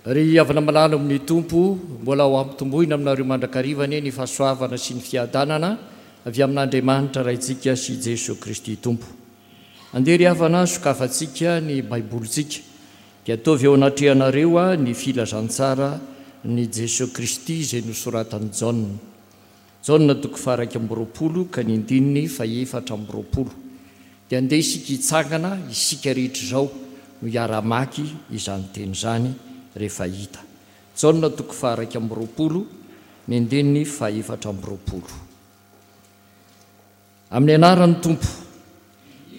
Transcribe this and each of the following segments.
Ry havana malala ao amin'ny Tompo, mbola ho ampitomboina aminareo mandrakariva anie ny fahasoavana sy ny fiadanana avy amin'Andriamanitra Raintsika sy Jesoa Kristy Tompo. Andeha ry havana sokafantsika ny Baibolintsika dia ataovy eo anatrehanareo ny filazantsara ny Jesoa Kristy izay nosoratan'i Jaona. Jaona toko faha-21 ka ny andininy fahefatra amby roapolo. Dia andeha isika hitsangana, isika rehetra izao no hiara-hamaky izany teny izany rehefa hita. Jaona toko faha-21, ny andininy fahefatra amby roapolo. Amin'ny anaran'ny Tompo.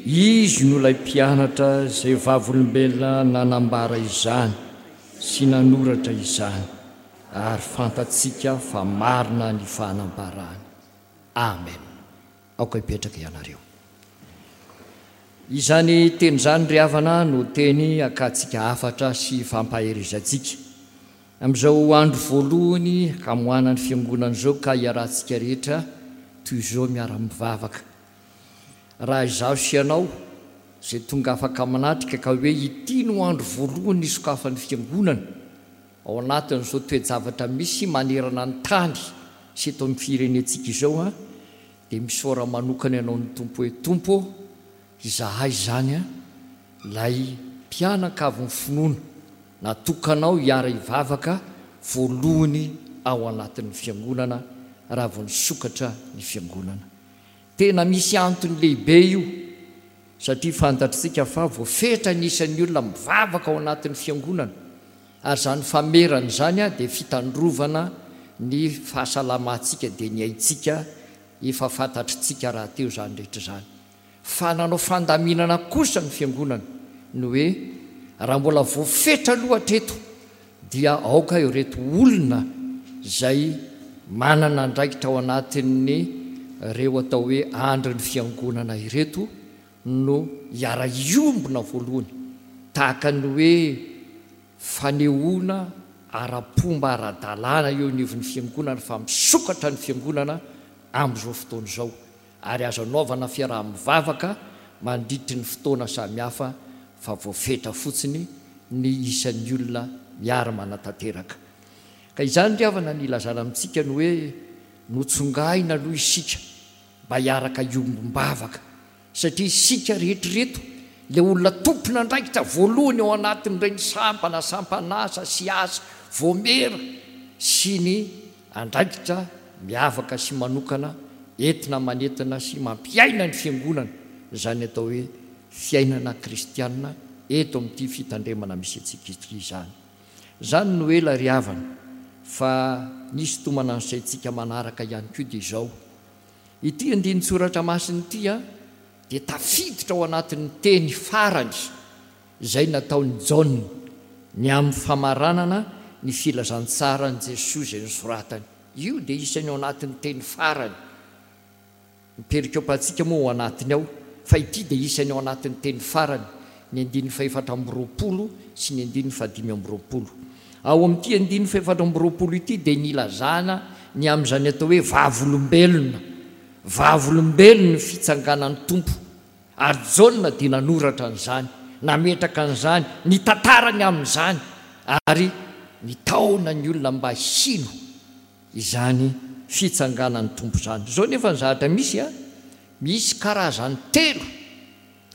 Izy no ilay mpianatra izay vavolombelona nanambara izany sy nanoratra izany, ary fantatsika fa marina ny fanambarany. Amen. Aoka hipetraka ianareo. Izany teny izany ry havana no teny hakantsika hafatra sy fampaherezantsika. Amin'izao andro voalohany hamoahana ny fiangonana izao ka iarahantsika rehetra toy izao miara-mivavaka. Raha izaho sy ianao izay tonga afaka manatrika ka hoe ity no andro voalohany nisokafan'ny fiangonana ao anatin'izao toe-javatra misy manerana ny tany sy eto amin'ny firenentsika izao an, dia misaora manokana ianao ny Tompo hoe Tompo ô, izahay izany an, ilay mpianakavin'ny finoana natokanao hiara-hivavaka voalohany ao anatin'ny fiangonana raha vao nisokatra ny fiangonana. Tena misy antony lehibe io satria fantatritsika fa voafetra ny isan'ny olona mivavaka ao anatin'ny fiangonana ary izany famerana izany dia fitandrovana ny fahasalamantsika dia ny aintsika efa fantatritsika rahateo izany rehetra izany. Fa nanao fandaminana kosa ny fiangonana ny hoe raha mbola voafetra aloha hatreto dia aoka ireto olona izay manana andraikitra ao anatin'ny ireo atao hoe andrin'ny fiangonana ireto no hiara-hiombona voalohany tahaka ny hoe fanehoana ara-pomba ara-dalàna eo anivon'ny fiangonana fa misokatra ny fiangonana amin'izao fotoana izao ary azo anaovana fiaraha-mivavaka mandritry ny fotoana samihafa fa voafetra fotsiny ny isan'ny olona miara-manatanteraka. Ka izany ry havana ny ilazana amintsika ny hoe notsongaina aloha isika mba hiaraka hiombom-bavaka satria isika rehetra ireto ilay olona tompon'andraikitra voalohany ao anatin'ireny sampana, sampan'asa sy asa voamera sy ny Andraikitra miavaka sy manokana entina manentana sy mampiaina ny Fiangonana izany atao hoe fiainana kristiana eto amin'ity fitandremana misy antsika ity izany. Izany no ela ry havana fa ny hisintomana ny saintsika manaraka ihany koa dia izao, ity andinin-tsoratra masina ity dia tafiditra ao anatin'ny teny farany izay nataon'i Jaona ny amin'ny famaranana ny filazantsaran'i Jesoa izay nosoratany. Io dia isan'ny ao anatin'ny teny farany. Ny perikopantsika moa ao anatiny ao, fa ity dia isan'ny ao anatin'ny teny farany, ny andininy fahefatra amby roapolo sy ny andininy fahadimy amby roapolo. Ao amin'ity andininy fahefatra amby roapolo ity dia nilazana ny amin'izany atao hoe vavolombelona, vavolombelon'ny fitsanganan'ny Tompo. Ary Jaona dia nanoratra an'izany, nametraka an'izany, nitantara ny amin'izany, ary nitaona ny olona mba hino izany fitsanganan'ny Tompo izany. Izao anefa ny zavatra misy an, misy karazany telo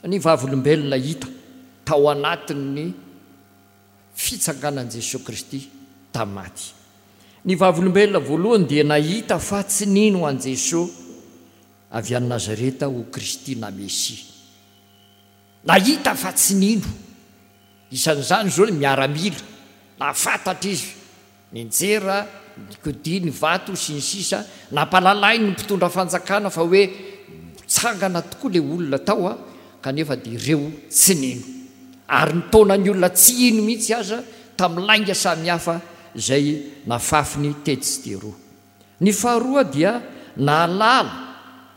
ny vavolombelona hita tao anatin'ny fitsanganan'i Jesoa Kristy tamin'ny maty. Ny vavolombelona voalohany dia nahita fa tsy nino an'i Jesoa avy any Nazareta ho Kristy na Mesia. Nahita fa tsy nino. Isan'izany izao ny miaramila. Nahafantatra izy, nianjera, nikodia ny vato, sy ny sisa Nampahalalainy ny mpitondra fanjakana fa hoe nitsangana tokoa ilay olona tao, kanefa dia ireo tsy nino. Ary nitaona ny olona tsy hino mihitsy aza tamin'ny lainga samihafa izay nafafiny tetsy sy teroa. Ny faharoa dia nahalala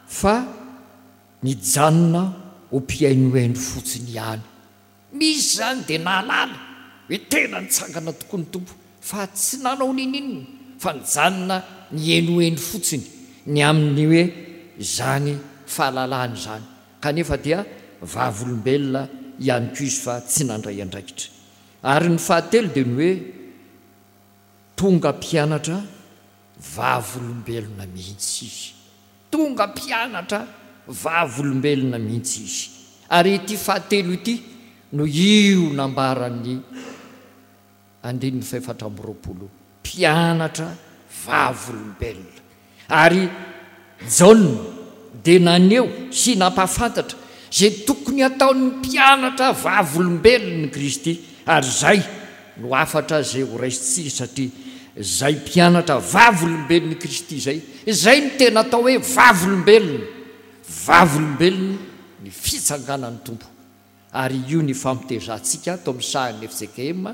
fa nijanona ho mpihainohaino fotsiny ihany. Misy izany dia nahalala hoe tena nitsangana tokoa ny Tompo fa tsy nanao ninoninona fa nijanona nihenoheno fotsiny ny amin'ny hoe izany fahalalana izany kanefa dia vavolombelona ihany koa izy fa tsy nandray andraikitra. Ary ny fahatelo dia ny hoe. Tonga mpianatra vavolombelona mihitsy izy. Tonga mpianatra vavolombelona mihitsy izy. Ary ity fahatelo ity no io nambaran'ny andininy fahefatra amby 20, mpianatra vavolombelona. Ary Jaona dia naneho sy nampahafantatra izay tokony hataon'ny mpianatra vavolombelon'i Kristy, ary izay no hafatra izay horaisintsika satria izay mpianatra vavolombelon'i Kristy izay, izay no tena atao hoe vavolombelona, vavolombelony ny fitsanganan'ny Tompo. Ary io ny ifampitezantsika ato amin'ny sahan'ny fjkm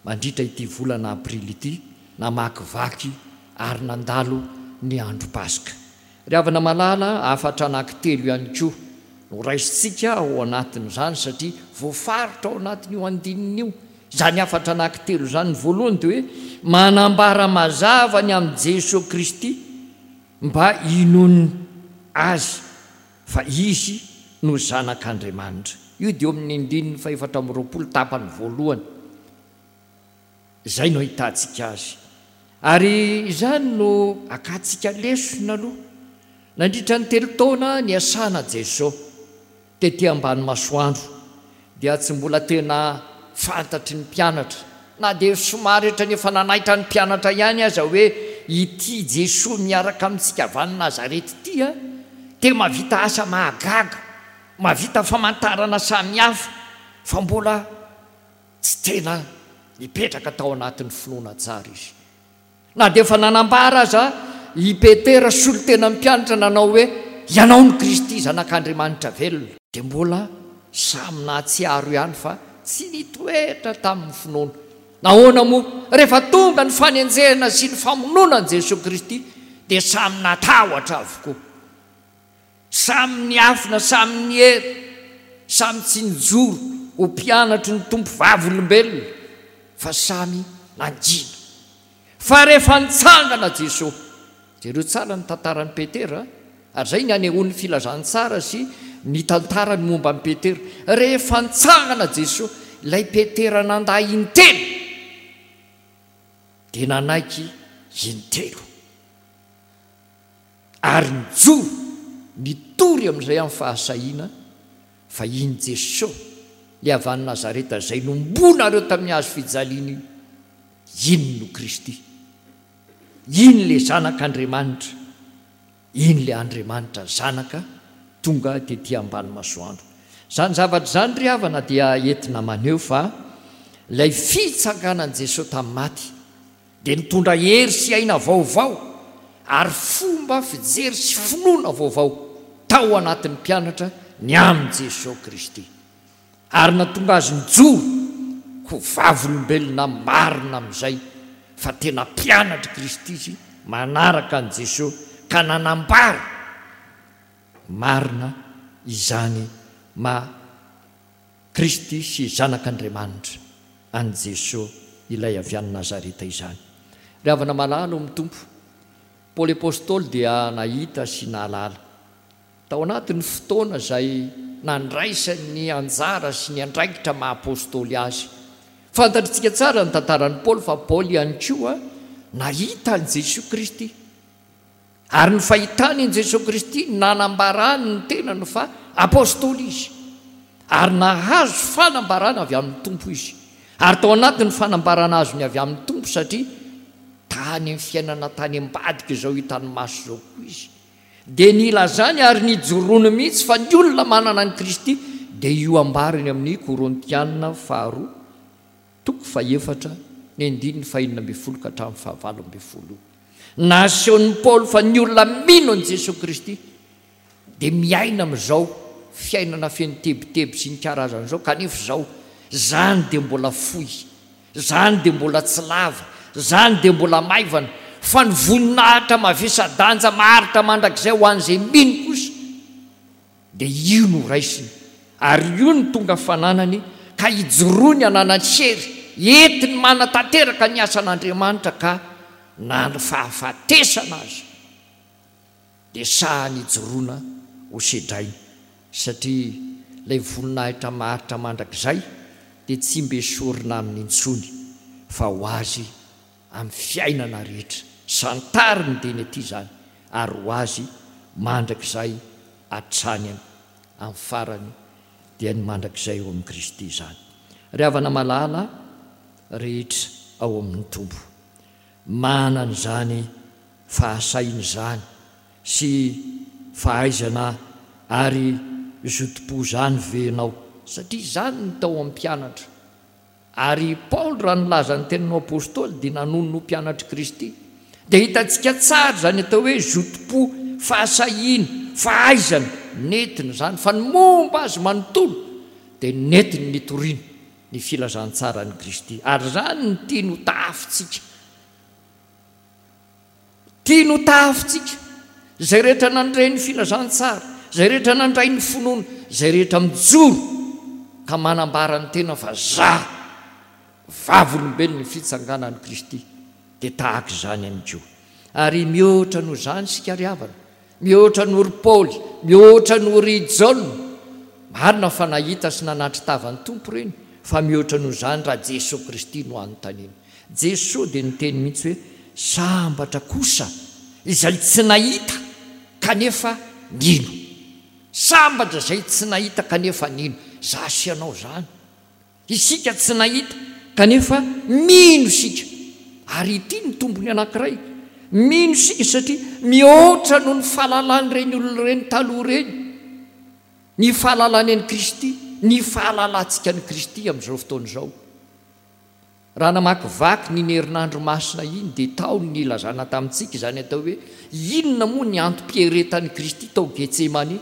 mandritra ity volana aprily ity, namakivaky ary nandalo ny andro Paska. Ry havana malala, hafatra anankitelo ihany koa no raisintsika ao anatin'izany satria voafaritra ao anatin'io andininy io izany hafatra anankitelo izany. Ny voalohany dia hoe manambara mazava ny amin'i Jesoa Kristy mba hinoany Azy fa Izy no Zanak'Andriamanitra. Io dia eo amin'ny andininy fahefatra amby 20 tapany voalohany. Izay no ahitantsika azy. Ary izany no akantsika lesona aloha. Nandritra ny telo taona niasana Jeso tety ambany masoandro dia tsy mbola tena fantatry ny mpianatra, na dia somary ohatran'ny efa nanaitra ny mpianatra ihany aza hoe ity Jesoa miaraka amintsika avy any Nazareth ity dia mahavita asa mahagaga, mahavita famantarana samihafa fa mbola Tsy tena nipetraka tao anatin'ny finoana tsara izy. Na dia efa nanambara aza i Petera solontenan'ny mpianatra nanao hoe, Ianao no Kristy, Zanak'Andriamanitra velona. Dia mbola samy nahatsiaro ihany fa tsy nitoetra tamin'ny finoana. Nahoana moa? Rehefa tonga ny fanenjehana sy ny famonoana an'i Jesoa Kristy dia samy natahotra avokoa. Samy niafina, samy niery, samy tsy nijoro ho mpianatry ny Tompo vavolombelona, fa samy nangina. Fa rehefa nitsangana Jesoa, jereo tsara ny tantaran'i Petera, ary izay ny anehoan'ny filazantsara sy ny tantarany momba an'i Petera. Rehefa nitsangana Jesoa, ilay Petera nandà intelo, dia nanaiky intelo. Ary nijoro, nitory amin'izay amin'ny fahasahiana fa iny Jesoa, ilay avy any Nazareta izay nombonareo tamin'ny hazo fijaliana iny, iny no Kristy. Iny ilay Zanak'Andriamanitra, iny ilay Andriamanitra Zanaka tonga tety ambany masoandro. Izany zavatra izany ry havana dia entina maneho fa ilay fitsanganan'i Jesoa tamin'ny maty dia nitondra hery sy aina vaovao ary fomba fijery sy finoana vaovao tao anatin'ny mpianatra ny amin'i Jesoa Kristy, ary nahatonga azy nijoro ho vavolombelona marina amin'izay fa tena mpianatr'i Kristy izy manaraka an'i Jesoa ka nanambara marina izany maha Kristy sy Zanak'Andriamanitra an'i Jesoa ilay avy any Nazareta izany. Ry havana malala ao amin'ny Tompo, Paoly Apostoly dia nahita sy nahalala, tao anatin'ny fotoana izay nandraisany ny anjara sy ny andraikitra maha Apostoly azy. Fantatritsika tsara ny tantaran'i Paoly fa Paoly ihany koa nahita an'i Jesoa Kristy. Ary ny fahitany an'i Jesoa Kristy no nanambarany ny tenany fa Apostoly izy. Ary nahazo fanambarana avy amin'ny Tompo izy. Ary tao anatin'ny fanambarana azony avy amin'ny Tompo satria tany amin'ny fiainana tany ambadika izao hitany maso izao koa izy, dia nilazany ary nijoroany mihitsy fa ny olona manana an'i Kristy dia io ambarany amin'ny Korintiana faharoa toko fahefatra ny andininy fahenina ambin'ny folo ka hatramin'ny fahavalo ambin'ny folo io. Nasehon'i Paoly fa ny olona mino an'i Jesoa Kristy dia miaina amin'izao fiainana feno tebiteby sy ny karazany izao, kanefa izao, izany dia mbola fohy, izany dia mbola tsy lava, izany dia mbola maivana, fa ny voninahitra mavesa-danja maharitra mandrakizay ho an'izay mino kosa dia io no raisiny ary io no tonga fananany ka ijoroany ananany hery entiny manatanteraka ny asan'Andriamanitra ka na ny fahafatesana aza dia sahany ijoroana ho sedrainy satria ilay voninahitra maharitra mandrakizay dia tsy mba esorina aminy intsony fa ho azy. amin'ny fiainana rehetra. Santariny dia ny aty izany ary ho azy mandrakizay hatrany amin'ny farany dia ny mandrakizay ao amin'i Kristy izany. Ry havana malala rehetra ao amin'ny Tompo, manana izany fahasahiana izany sy fahaizana ary zotom-po izany ve ianao? Satria izany no tao amin'ny mpianatra. Ary i Paoly raha nilaza ny tenany ho apostoly dia nanonona ho mpianatr'i Kristy. Dia hitantsika tsara izany atao hoe zotom-po, fahasahiana, fahaizana, nentiny izany fa ny momba azy manontolo dia nentiny nitoriana ny filazantsaran'i Kristy. Ary izany no tiany ho tahafintsika. Tiany ho tahafintsika izay rehetra nandre ny filazantsara, izay rehetra nandray ny finoana, izay rehetra mijoro ka manambara ny tena fa za vavolombelon'ny fitsanganan'i Kristy dia tahaka izany ihany koa. Ary mihoatra noho izany isika ry havana, Mihoatra noho ry Paoly, mihoatra noho ry Jaona. Marina fa nahita sy nanatri-tava ny Tompo ireny, fa mihoatra noho izany raha Jesoa Kristy no anontaniana. Jesoa dia niteny mihitsy hoe, Sambatra kosa izay tsy nahita kanefa nino. Sambatra izay tsy nahita kanefa nino. Izaho sy ianao izany. Isika tsy nahita, kanefa mino isika. Ary ity ny tombony anankiray, mino isika satria mihoatra noho ny fahalalan'ireny olona ireny taloha ireny ny fahalalany an'i Kristy, ny fahalalantsika an'i Kristy amin'izao fotoana izao. Raha namakivaky ny iny herinandro masina iny dia tao ny nilazana tamintsika izany atao hoe inona moa ny antom-pieretan'i Kristy tao Getsemane.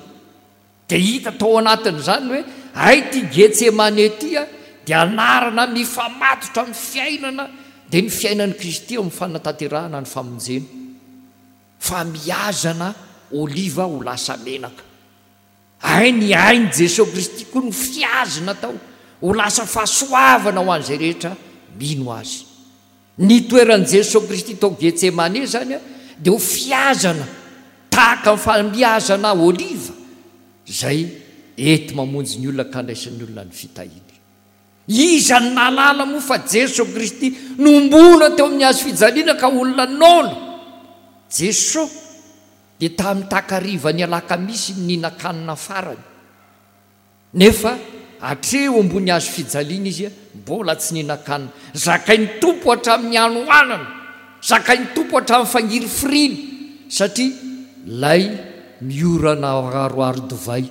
Dia hita tao anatin'izany ny hoe hay ity Getsemane ity dia anarana mifamatotra amin'ny fiainana, dia ny fiainan'i Kristy eo amin'ny fanatanterahana ny famonjena. Famiazana oliva ho lasa menaka. Hay ny ain'i Jesoa Kristy koa no fihazina tao ho lasa fahasoavana ho an'izay rehetra mino Azy. Ny toeran'i Jesoa Kristy tao Getsemane izany dia ho fihazana tahaka ny famiazana oliva izay enti-mamonjy ny olona ka andraisan'ny olona ny fitahiany. Iza no nahalala moa fa Jesoa Kristy nohomboana teo amin'ny hazo fijaliana ka olona noana? Jesoa dia tamin'ny takarivan'ny alakamisy no nihinan-kanina farany. Nefa hatreo ambony hazo fijaliana izy mbola tsy nihinan-kanina. Zakain'ny Tompo hatramin'ny hanoanana, zakain'ny Tompo hatramin'ny fangirifiriana, satria ilay miorana aroaro divay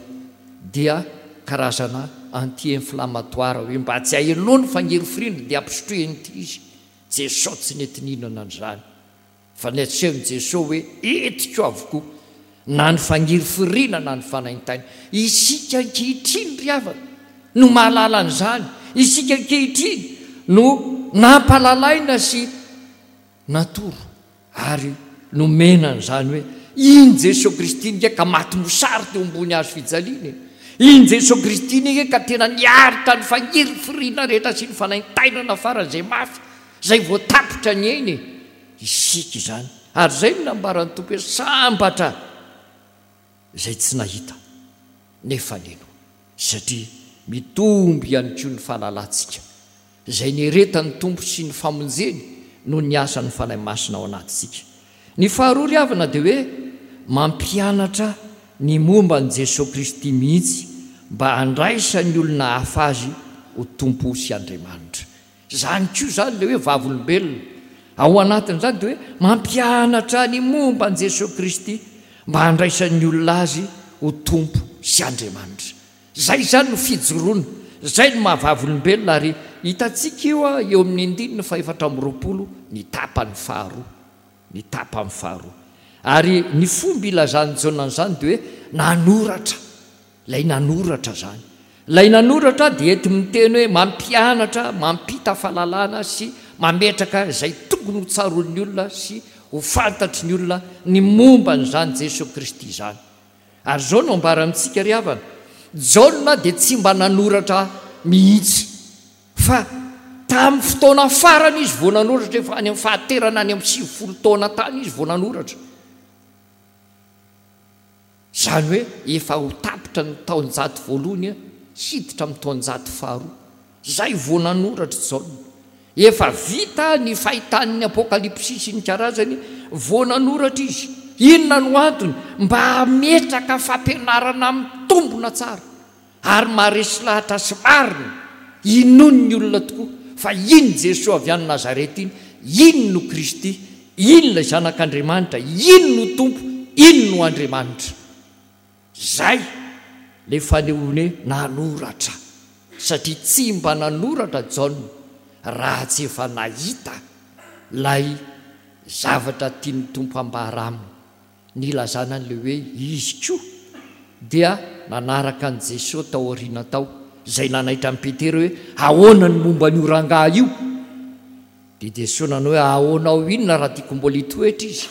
dia karazana anti-inflammatoire, hoe mba tsy hahenoa ny fangirifiriana dia ampisotroy an'ity izy. Jesosy tsy nety nihinana an'izany. Fa ny asehon'i Jesoa hoe entiko avokoa na ny fangirifiriana na ny fanaintaina. Isika ankehitriny ry havana no mahalala an'izany. Isika ankehitriny no nampalalaina sy natoro ary nomena an'izany hoe iny Jesoa Kristy iny nge ka maty mosary teo ambony hazo fijaliana e. Iny Jesoa Kristy iny nge ka tena niaritra ny fangirifiriana rehetra sy ny fanaintainana faran'izay mafy Izay vao tapitra ny ainy e! Isika izany. Ary izay no nambaran'ny Tompo hoe sambatra izay tsy nahita nefa nino. Satria mitombo ihany koa ny fahalalantsika izay nieretan'ny Tompo sy ny famonjeny noho ny asan'ny Fanahy Masina ao anatintsika. Ny faharoa ry havana dia hoe mampianatra ny momba an'i Jesoa Kristy mihitsy mba handraisan'ny olona hafa Azy ho Tompo sy Andriamanitra. Izany koa izany ilay hoe vavolombelona. Ao anatin'izany dia hoe mampianatra ny momba an'i Jesoa Kristy mba handraisan'ny olona Azy ho Tompo sy Andriamanitra. Izay izany no fijoroana, izay no maha vavolombelona ary hitantsika io eo amin'ny andininy fahefatra amby 20 ny tapany faharoa. Ny tapany faharoa. Ary ny fomba ilazan'i Jaona an'izany dia hoe nanoratra. Ilay nanoratra izany. Ilay nanoratra dia enti miteny hoe mampianatra, mampita fahalalana sy mametraka izay tokony ho tsaroan'ny olona sy ho fantatry ny olona ny momba an'izany Jesoa Kristy izany. Ary izao no ambara amintsika ry havana, Jaona dia tsy mba nanoratra mihitsy fa tamin'ny fotoana farany izy vao nanoratra, efa any amin'ny fahaterana any amin'ny 90 taona tany izy vao nanoratra. Izany hoe efa ho tapitra ny taonjato voalohany hiditra amin'ny taonjato faharoa. Izay vao nanoratra i Jaona. Efa vita ny fahitan'ny Apokalypsy sy ny karazany vao nanoratra izy. Inona no antony? Mba hametraka fampianarana mitombina tsara ary maharesy lahatra sy marina, inoan'ny olona tokoa fa iny Jesoa avy any Nazareta iny, iny no Kristy, iny ilay Zanak'Andriamanitra, iny no Tompo, iny no Andriamanitra. Zay le fanehoany hoe nanoratra satria tsy mba nanoratra Jaona raha tsy efa nahita lay zavatra tian'ny Tompo ambara aminy nilazana an'le hoe izy koa dia nanaraka an'i Jesoa tao aoriana tao zay nanaitra an'i Petera hoe ahoana ny momba an'io rangahy io dia Jesoa nanao hoe ahoana ao inona raha tiako mbola hitoetra izy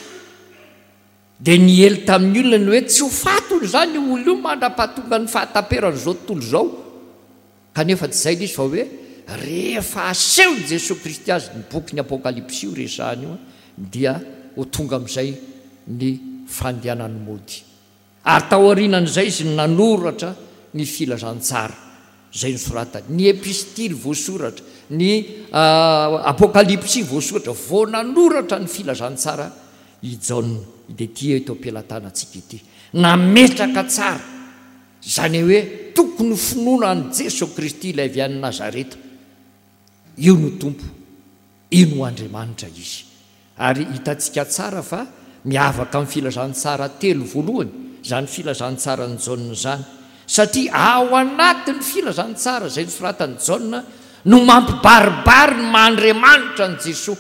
Dia niely tamin'ny olona ny hoe tsy ho faty hono izany io olona io mandra-pahatongan'ny fahataperan'izao tontolo izao. Kanefa tsy izay ilay izy fa hoe rehefa asehon'i Jesoa Kristy azy ny bokin'ny Apokalypsy io resahana io dia ho tonga amin'izay ny fandehanany mody. Ary taorianan'izay izy no nanoratra ny filazantsara izay nosoratany, ny epistily voasoratra, ny Apokalypsy voasoratra, vao nanoratra ny filazantsara i Jaona, dia ity eto am-pelatanantsika ity. Nametraka tsara izany hoe tokony ho finoana an'i Jesoa Kristy ilay avy any Nazareta. Io no Tompo, io no Andriamanitra Izy. Ary hitantsika tsara fa miavaka amin'ny filazantsara telo voalohany izany filazantsaran'i Jaona izany, satria ao anatin'ny filazantsara izay nosoratan'i Jaona no mampibaribary ny maha Andriamanitra an'i Jesoa.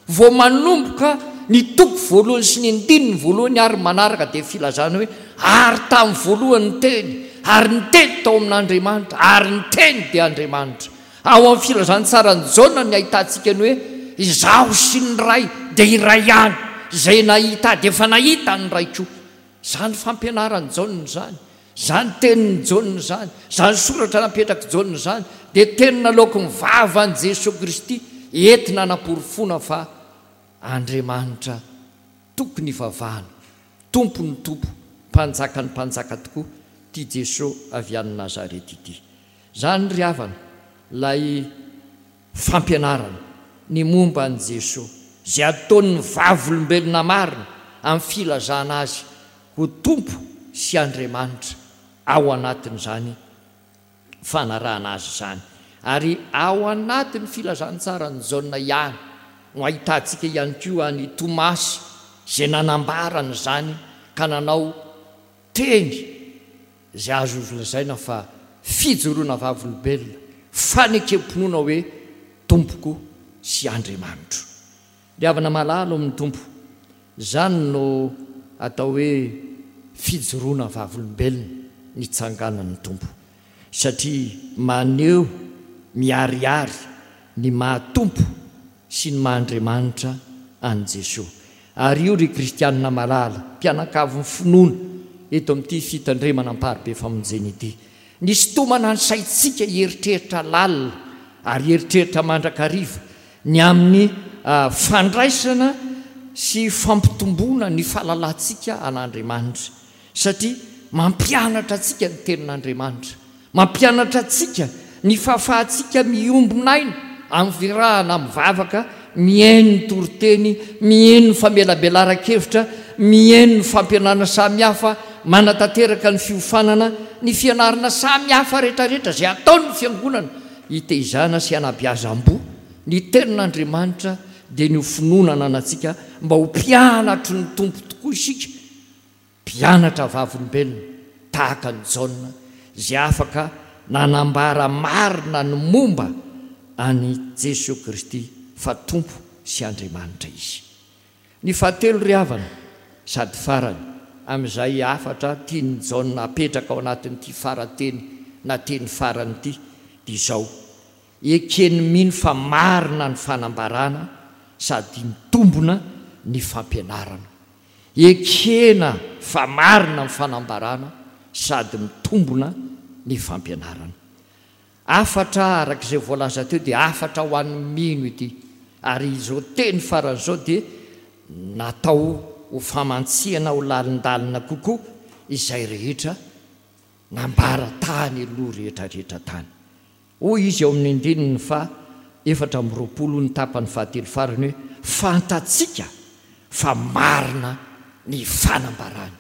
Vao manomboka ny toko voalohany sy ny andininy voalohany ary manaraka dia filazana hoe, Ary tamin'ny voalohany ny Teny, ary ny Teny tao amin'Andriamanitra, ary ny Teny dia Andriamanitra. Ao amin'ny filazantsaran'i Jaona ny ahitantsika ny hoe, Izaho sy ny Ray dia iray ihany, izay nahita Ahy dia efa nahita ny Ray koa. Izany fampianaran'i Jaona izany, izany tenin'i Jaona izany, izany soratra napetrak'i Jaona izany dia teny naloaky ny vavan'i Jesoa Kristy entina hanaporofoana fa Andriamanitra tokony hivavahana, Tompon'ny tompo, Mpanjakan'ny mpanjaka tokoa ity Jesoa avy any Nazareta ity. Izany ry havana ilay fampianarana ny momba an'i Jesoa, izay ataon'ny vavolombelona marina amin'ny filazana Azy ho Tompo sy Andriamanitra ao anatin'izany fanarahana Azy izany. Ary ao anatin'ny filazantsaran'i Jaona ihany no ahitantsika ihany koa an'i Tomasy izay nanambara an'izany ka nanao teny izay azo lazaina fa fijoroana vavolombelona, fanekem-pinoana hoe Tompoko sy Andriamanitro. Ry havana malala ao amin'ny Tompo, izany no atao hoe fijoroana vavolombelona nitsanganan'ny Tompo, satria maneho miharihary ny maha Tompo sy ny maha Andriamanitra an'i Jesoa. Ary io ry kristianina malala, mpianakavin'ny finoana eto amin'ity fitandremana amparibe famonjena ity, nisintomana ny saintsika hieritreritra lalina ary hieritreritra mandrakariva ny amin'ny fandraisana sy fampitomboana ny fahalalantsika an'Andriamanitra, satria mampianatra antsika ny Tenin'Andriamanitra. Mampianatra antsika ny fahafahantsika miombon'aina amin'ny firahana mivavaka, mihaino ny toriteny, mihaino ny famelabelaran-kevitra, mihaino ny fampianarana samihafa, manatanteraka ny fiofanana, ny fianarana samihafa rehetrarehetra izay ataon'ny Fiangonana hiteizana sy hanabeazam-boa ny Tenin'Andriamanitra dia ny ho finoana ananantsika mba ho mpianatry ny Tompo tokoa isika. Mpianatra vavolombelona tahaka an'i Jaona izay afaka nanambara marina ny momba an'i Jesoa Kristy fa Tompo sy Andriamanitra Izy. Ny fahatelo ry havana, sady farany, amin'izay hafatra tian'i Jaona apetraka ao anatin'ity fara-teny na teny farany ity dia izao, Eken'ny mino fa marina ny fanambarana sady mitombona ny fampianarana. Ekena fa marina ny fanambarana sady mitombona ny fampianarana. Hafatra araka izay voalaza teo dia hafatra ho an'ny mino ity ary izao teny farany izao dia natao ho famantsihana ho lalindalina kokoa izay rehetra nambara tany aloha rehetra rehetra tany. Hoy izy ao amin'ny andininy faha. 24 ny tapany fahatelo farany hoe, Fantatsika fa marina ny fanambarany.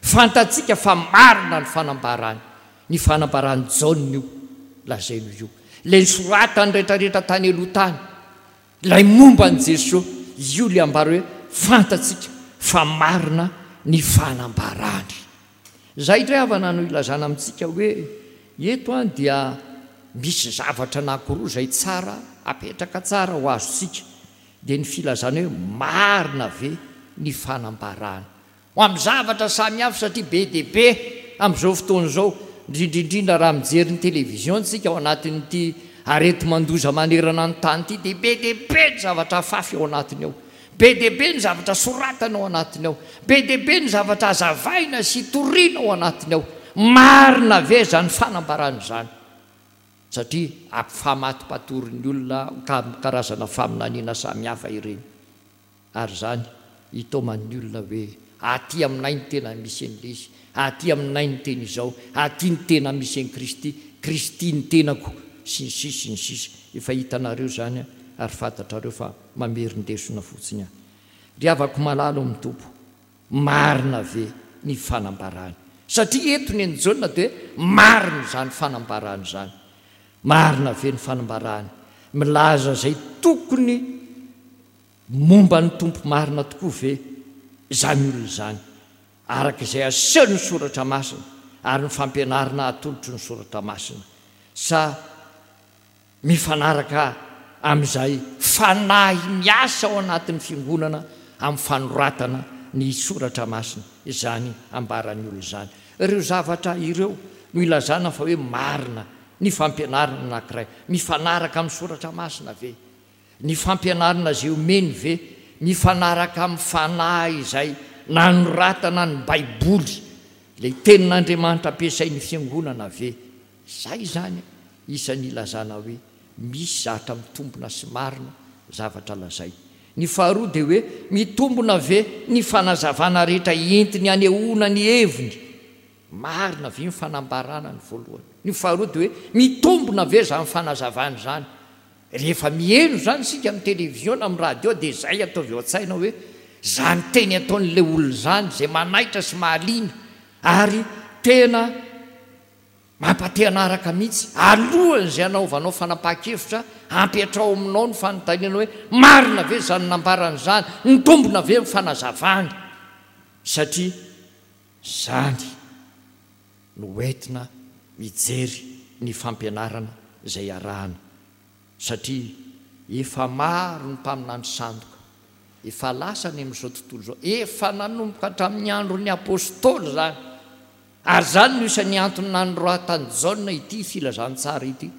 Fantatsika fa marina ny fanambarany. Ny fanambaran'i Jaona io lazainy io. Ilay nosoratany rehetrarehetra tany aloha tany. Ilay momba an'i Jesoa. Io ilay ambara hoe fantatsika fa marina ny fanambarany. Izay indray havana no ilazana amintsika hoe eto an dia misy zavatra anankiroa izay tsara apetraka tsara ho azontsika dia ny filazana hoe marina ve ny fanambarana ho amin'ny zavatra samihafa satria be dia be amin'izao fotoana izao, indrindra indrindra raha mijery ny télévision tsika ao anatin'ity areti-mandoza manerana ny tany ity dia be dia be ny zavatra afafy ao anatiny ao, be dia be ny zavatra soratana ao anatiny ao, be dia be ny zavatra azavaina sy toriana ao anatiny ao. Marina ve izany fanambarana izany? Satria ampifamatopatorin'ny olona karazana faminaniana samihafa ireny. Ary izany hitaoman'ny olona hoe, Aty aminay no tena misy an'ilay izy, aty aminay no tena izao, aty no tena misy an'i Kristy, Kristy ny tenako, sy ny sisa sy ny sisa. Efa hitanareo izany ary fantatrareo fa mamerin-desona fotsiny aho. Ry havako malala ao amin'ny Tompo, marina ve ny fanambarany? Satria eto ny an'i Jaona dia hoe marina izany fanambarany izany. Marina ve ny fanambarany? Milaza izay tokony Momba ny Tompo marina tokoa ve izany olona izany, araka izay asehon'ny Soratra Masina ary ny fampianarana atolotry ny Soratra Masina, sa mifanaraka amin'izay fanahy miasa ao anatin'ny fiangonana amin'ny fanoratana ny Soratra Masina izany ambaran'ny olona izany? Ireo zavatra ireo no ilazana fa hoe marina ny fampianarana anankiray. Mifanaraka amin'ny Soratra Masina ve? Ny fampianarana izay omeny ve mifanaraka amin'ny fanahy izay nanoratana ny Baiboly, ilay Tenin'Andriamanitra ampiasain'ny Fiangonana ve? Izay izany isan'ny ilazana hoe misy zatra mitombina sy marina zavatra lazainy. Ny faharoa dia hoe mitombina ve ny fanazavana rehetra entiny hanehoana ny heviny? Marina ve ny fanambarana ny voalohany? Ny faharoa dia hoe mitombina ve izany fanazavana izany? Rehefa miheno izany isika amin'ny televiziona, amin'ny radio dia izay ataovy ao an-tsaina hoe izany teny ataon'ilay olona izany izay manaitra sy mahaliana ary tena mampate hanaraka mihitsy. Alohan'izay hanaovanao fanapahan-kevitra, ampiatrao aminao ny fanontaniana hoe marina ve izany nambarany izany? Mitombina ve ny fanazavany? Satria izany no entina mijery ny fampianarana izay arahana satria efa maro ny mpaminany sandoka efa lasa any amin'izao tontolo izao, efa nanomboka hatramin'ny andron'ny Apostoly izany, ary izany no isan'ny antony nanoratan'i Jaona ity filazantsara ity,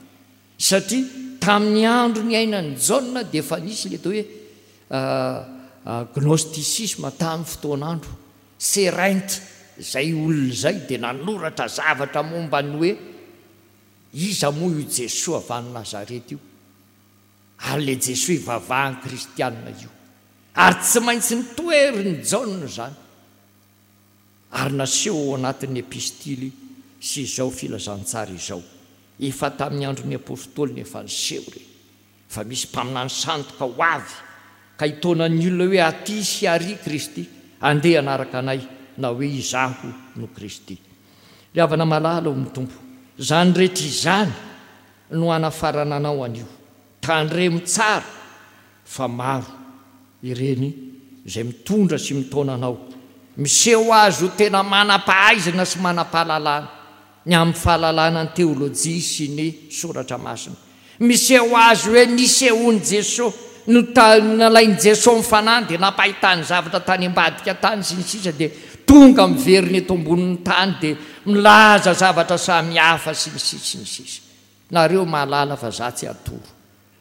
satria tamin'ny andro niainan'i Jaona dia efa nisy ilay atao hoe gnosticisme tamin'ny fotoan'andro. Seraint, izay olona izay dia nanoratra zavatra momba ny hoe iza moa io Jesoa avy any Nazareta io, ary ilay Jesoa ivavahan'ny kristianina io. Ary tsy maintsy notoherin'i Jaona izany, ary naseho ao anatin'ny epistily sy izao filazantsara izao. Efa tamin'ny andron'ny apostoly no efa niseho ireny. Fa misy mpaminany sandoka ho avy ka hitaona ny olona hoe aty sy ary Kristy, andeha hanaraka anay, na hoe izaho no Kristy. Ry havana malala ao amin'ny Tompo, izany rehetra izany no hanafarana anao anio. Tandremo tsara fa maro ireny izay mitondra sy mitaona anao, miseho azy ho tena manam-pahaizana sy manam-pahalalana ny amin'ny fahalalana ny teolojia sy ny soratra masina. Miseho azy hoe nisehoan'i Jesoa, nalain'i Jesoa ny fanahiny dia nampahitany zavatra tany ambadika tany sy ny sisa dia tonga miverina eto ambonin'ny tany dia milaza zavatra samihafa sy ny sisa sy ny sisa. Nareo mahalala fa za tsy atoro.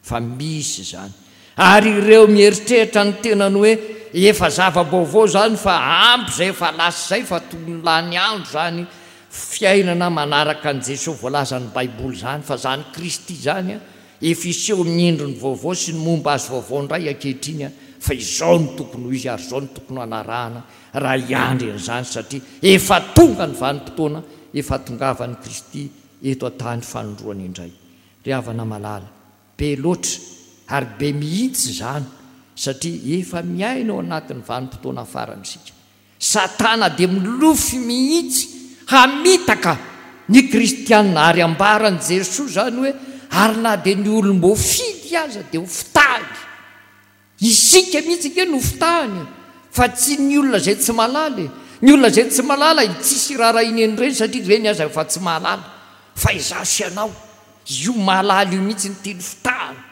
Fa misy izany. Ary ireo mieritreritra ny tenany hoe efa zava-baovao izany fa ampy izay efa lasa izay fa tokony lany andro izany fiainana manaraka an'i Jesoa voalazan'ny baiboly izany fa izany Kristy izany efa hiseho amin'ny endriny vaovao sy ny momba azy vaovao indray ankehitriny fa izao no tokony ho izy ary izao no tokony hanarahana raha hiandry an'izany satria efa tonga ny vanim-potoana efa hatongavan'i Kristy eto an-tany fanindroany indray. Ry havana malala, be loatra. Ary be mihitsy izany satria efa miaina ao anatin'ny vanim-potoana farany isika. Satana dia milofy mihitsy hamitaka ny kristiana ary ambaran'i Jesoa izany hoe ary na dia ny olom-boafidy aza dia ho fitahiny. Isika mihitsy ange no fitahiny e, fa tsy ny olona izay tsy mahalala e. Ny olona izay tsy mahalala tsisy iraharahiany an'ireny satria ireny aza efa tsy mahalala. Fa izaho sy ianao, io mahalala io mihitsy no tiany fitahana.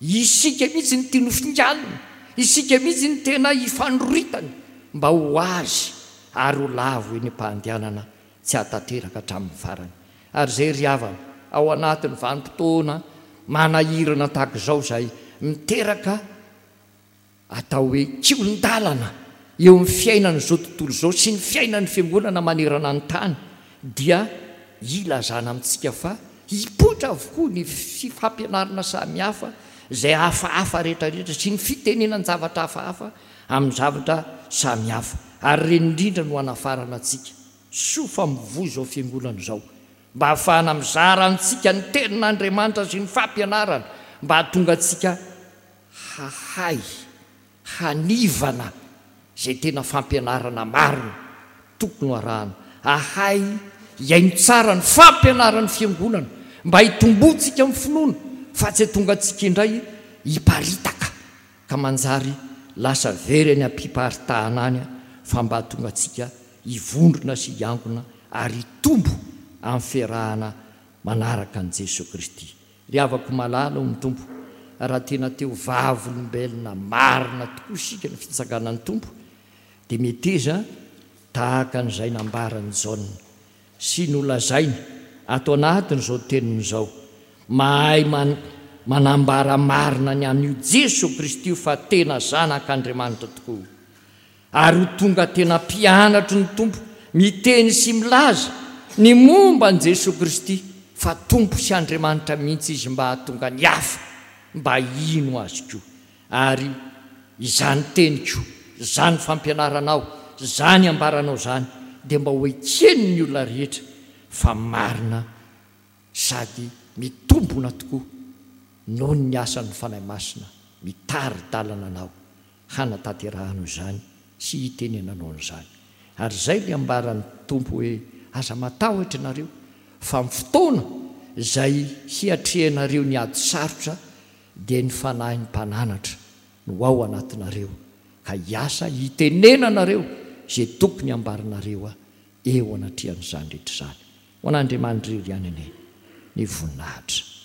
Isika mihitsy no tiany hofinganina, isika mihitsy no tena ifanoritany mba ho azy ary ho lavo eny am-pandehanana tsy hahatanteraka hatramin'ny farany. Ary izay ry havana, ao anatin'ny vanim-potoana manahirana tahaka izao izay miteraka atao hoe kihon-dalana eo amin'ny fiainan'izao tontolo izao sy ny fiainan'ny Fiangonana manerana ny tany dia ilazana amintsika fa hipoitra avokoa ny fifampianarana samihafa izay hafahafa rehetrarehetra sy ny fitenenan-javatra hafahafa amin'ny zavatra samihafa ary ireny indrindra no hanafarana antsika. Soa fa mivoy izao Fiangonana izao mba hahafahana mizara antsika ny Tenin'Andriamanitra sy ny fampianarana mba hahatonga antsika hahay hanivana izay tena fampianarana marina tokony ho arahana, hahay hihaino tsara ny fampianaran'ny Fiangonana mba hitomboantsika amin'ny finoana fa tsy hahatonga antsika indray hiparitaka ka manjary lasa very any am-piparitahana any fa mba hahatonga antsika hivondrona sy hiangona ary hitombo amin'ny fiarahana manaraka an'i Jesoa Kristy. Ry havako malala ao amin'ny Tompo, raha tena te ho vavolombelona marina tokoa isika ny fitsanganan'ny Tompo, dia meteza tahaka an'izay nambaran'i Jaona sy nolazainy ato anatin'izao teniny izao, mahay manambara marina ny amin'io Jesoa Kristy io fa tena Zanak'Andriamanitra tokoa. Ary ho tonga tena mpianatry ny Tompo miteny sy milaza ny momba an'i Jesoa Kristy fa Tompo sy Andriamanitra mihitsy Izy mba hahatonga ny hafa mba hino Azy koa. Ary izany teniko, izany fampianaranao, izany ambaranao izany dia mba ho eken'ny olona rehetra fa marina sady mitombona tokoa noho ny asan'ny Fanahy Masina mitari-dalana anao hanatanterahanao izany sy hitenenanao an'izany. Ary izay ilay ambaran'ny Tompo hoe, Aza matahotra ianareo, fa amin'ny fotoana izay hiatrehanareo ny ady sarotra dia ny Fanahin'ny Mpananatra no ao anatinareo ka hiasa hitenenanareo izay tokony hambaranareo eo anatrehan'izany rehetra izany. Ho an'Andriamanitra irery ihany anie ny voninahitra.